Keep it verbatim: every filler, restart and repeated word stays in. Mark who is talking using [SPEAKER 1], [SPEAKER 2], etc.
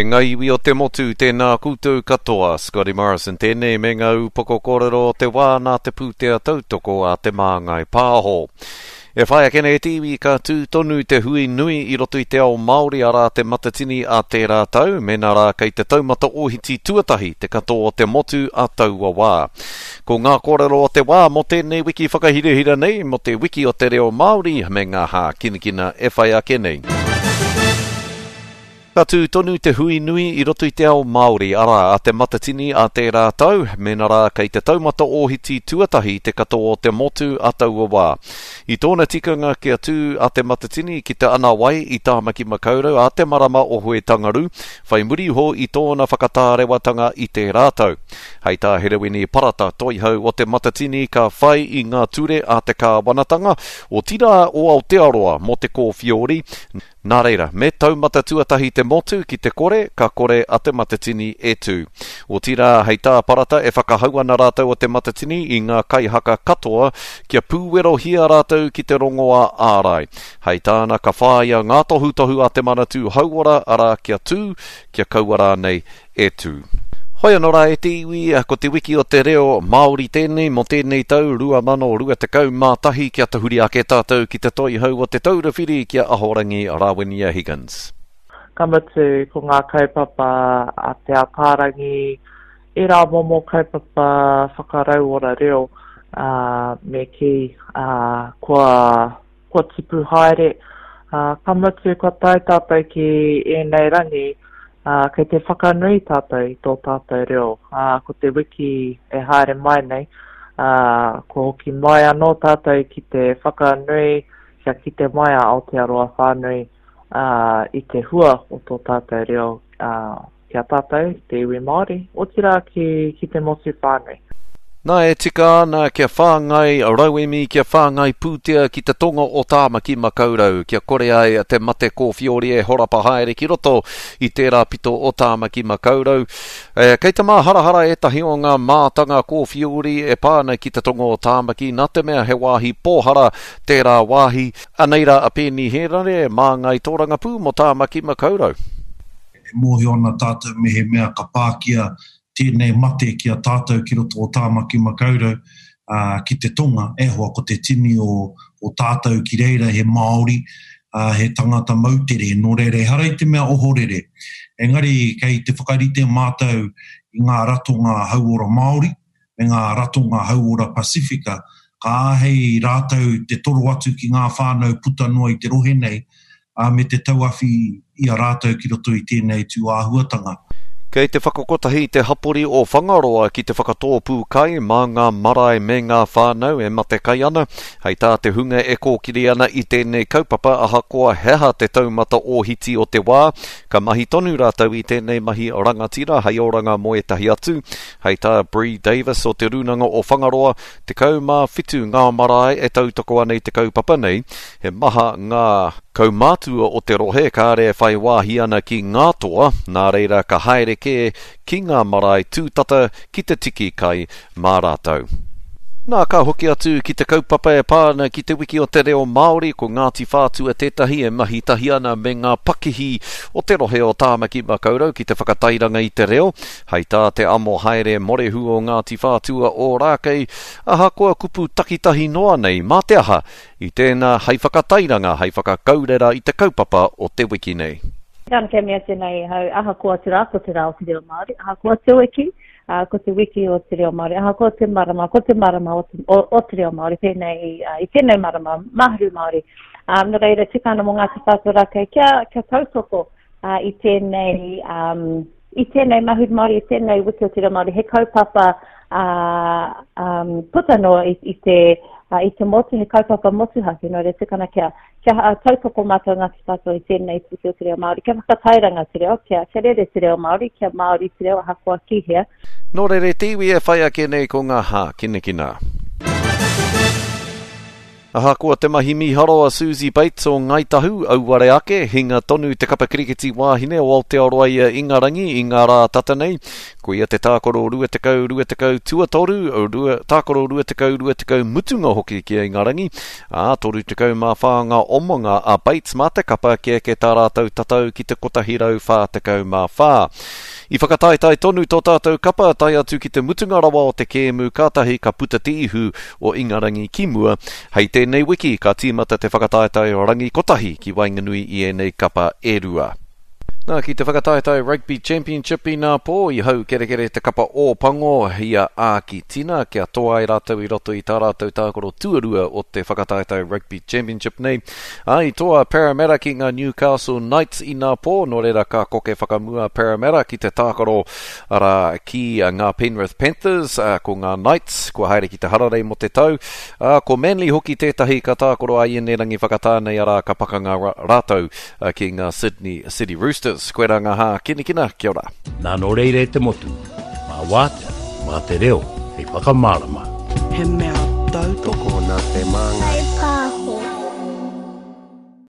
[SPEAKER 1] E ngā iwi o te motu, tēnā koutou katoa, Scotty Morrison tēnei me ngā upoko kōrero o te wā nā te pūtea tautoko a Te Māngai Pāho. E whai ake nei te iwi ka tū tonu te hui nui i roto i te ao Māori arā te Matatini a tērā tau, mēnā rā kei te taumata ōhiti tuatahi te katoa o te motu a taua wā. Ko ngā kōrero o te wā mō tēnei wiki whakahirahira nei, mō te wiki o te reo Māori me ngā hākinakina e whai ake nei. Ka tū tonu te hui nui i roto i te ao Māori, arā, a te Matatini a tērā tau, mēnā rā kei te taumata ōhiti tuatahi te katoa o te motu a taua wā. I tōna tikanga kia tū a te Matatini ki te Anawai i Tāmaki Makaurau a te marama o Huitangaru, whai muri iho i tōna whakatārewatanga i tērā tau. Hei tā Herewini Parata, toihau o te Matatini ka whai i ngā ture a te kāwanatanga, otirā o Aotearoa mō te kōwhiori, Nā reira, me taumata tuatahi te motu ki te kore, ka kore a Te Matatini e tū. Otirā, hei tā Parata e whakahau ana rātou o Te Matatini i ngā kaihaka katoa kia pūwerohia rātou ki te rongoā ārai. Hei tāna ka whāia ngā tohutohu a Te Manatū Hauora, arā kia tū, kia kaua rānei e tū. Hoi anō rā e te iwi, ko te wiki o te reo Māori tēnei mō tēnei tau rua mano rua tekau mā tahi kia tahuri ake tātou ki te toihau o Te Taura Whiri ki a Ahorangi Rawinia Higgins.
[SPEAKER 2] Ka mutu ko ngā kaupapa a Te Ataarangi, ērā momo kaupapa whakarauora reo, ā, me kī, ā, kua kua tipu haere, ā, ka mutu kua tae tātou ki ēnei rangi, ā, kei te whakanui tātou i tō tātou reo, ā, ko te wiki e haere mai nei, ā, kua hoki mai anō tātou ki te whakanui kia kite mai a Aotearoa whānui, ā, i te hua o tō tātou reo, ā, ki a tātou, te iwi Māori, otirā ki, ki te motu whānui.
[SPEAKER 1] Nā, e tika ana kia whāngai rauemi, kia whāngai pūtea ki te tonga o Tāmaki Makaurau, kia kore ai te mate kōwhiori e horapa haere ki roto i tērā pito o Tāmaki Makaurau. E, kei te māharahara ētahi o ngā mātanga kōwhiori e pā ana ki te tonga o Tāmaki, nā te mea he wāhi pōhara tērā wāhi. Anei rā a Peeni Hērare, māngai tōrangapū mō Tāmaki Makaurau.
[SPEAKER 3] E mōhio ana tātou mehemea ka pākia tēnei mate ki a tātou ki roto o Tāmaki Makaurau, ā, ki te tonga, e hoa, ko te tini o, o tātou ki reira he Māori, ā, he tangata moutere, nō reira ehara i te mea ohorere. Engari kei te whakarite mātou i ngā ratonga hauora Māori me ngā ratonga hauora Pasifika, ka āhei rātou te toro atu ki ngā whānau puta noa i te rohe nei, ā, me te tauawhi i a rātou ki roto i tēnei tūāhuatanga.
[SPEAKER 1] Kei te whakakotahi te hapori o Whangaroa ki te whakatōpū kai mā ngā marae me ngā whānau e mate kai ana. Hei tā te hunga e kōkiri ana i tēnei kaupapa ahakoa he aha te taumata ōhiti o te wā, ka mahi tonu rātou i tēnei mahi rangatira hei oranga mō ētahi atu. Hei tā Bree Davis o Te Rūnanga o Whangaroa, tekau mā whitu ngā marae e tautoko ana i te kaupapa nei, he maha ngā kaumātua o te rohe kāre e whai wāhi ana ki ngā toa, nā reira ka haere kē ki ngā marae tūtata ki te tiki kai mā rātou. Nā, ka hoki atu ki te kaupapa e pā ana ki te wiki o te reo Māori, ko Ngāti Whātua tētahi e mahi tahi ana me ngā pakihi o te rohe o Tāmaki Makaurau ki te whakatairanga i te reo. Hei tā te amo haere morehu o Ngāti Whātua Ōrākei, ahakoa kupu takitahi noa nei, mā te aha, i tēnā hei whakatairanga, hei whakakaurera i te kaupapa o te wiki nei.
[SPEAKER 4] Kāna kia mea tēnei hau, ahakoa te rā, ko te rā o te reo Māori, ahakoa te wiki, ā, ko te wiki o te reo Māori, ahakoa te marama, ko te marama o te, o, o te reo Māori, pēnei i, uh, i tēnei marama, Mahuru Māori. Um, nō reira, tika ana mō Ngāti Whātua Rākei kia, kia tautoko uh, i tēnei, um, i tēnei Mahuru Māori, i tēnei wiki o te reo Māori, he kaupapa uh, um, puta noa i, i te, uh, i te motu, he kaupapa motuhake, nō reira tika ana kia, kia tautoko mātou Ngāti Whātua i tēnei wiki o te reo Māori, kia whakatairanga te reo, kia, kia rere te reo Māori, kia Māori te reo ahakoa ki hea.
[SPEAKER 1] Nō reira te iwi e whai ake nei ko ngā hākinakina. Ahakoa te mahi mīharo a Suzie Bates o Ngāi Tahu, auare ake, hinga tonu te kapa kirikiti wāhine o Aotearoa i a Ingarangi i ngā rā tata nei. Koia te tākaro rua tekau, rua tekau tuatoru, rua, tākaro rua tekau, rua tekau mutunga hoki ki a Ingarangi. Ā, toru tekau mā whā ngā omanga a Bates mā te kapa kia eke tā rātou tatau ki te kotahi rau whā tekau mā whā. I whakataetae tonu tō tātou kapa tae atu ki te mutunga rawa o te kēmu, kātahi ka puta te ihu o Ingarangi ki mua. Hei tēnei wiki ka tīmata te whakataetae rangi kotahi ki waenganui i ēnei kapa e rua. Nā, ki te whakataetae Rugby Championship i nā pō, i hau kerekere te kapa o Pango i a Ākitina kia toa ai rātou i roto i tā rātou tākaro tuarua o te whakataetae Rugby Championship nei. Ā, i toa Parramatta ki ngā Newcastle Knights i nā pō, nō reira ka koke whakamua Parramatta ki te tākaro arā ki ngā Penrith Panthers, ā, ko ngā Knights kua haere ki te hararei mō te tau. Ā, ko Manly hoki tētahi ka tākaro ai ēnei rangi whakatā nei, arā ka pakanga rātou ki ngā Sydney City Roosters. Koe rā ngā hākinakina, kia ora.
[SPEAKER 5] Nā nō reira e te motu, mā wātea, mā te reo, hei whakamārama.
[SPEAKER 6] He mea tautoko.
[SPEAKER 7] Tokona te māngai.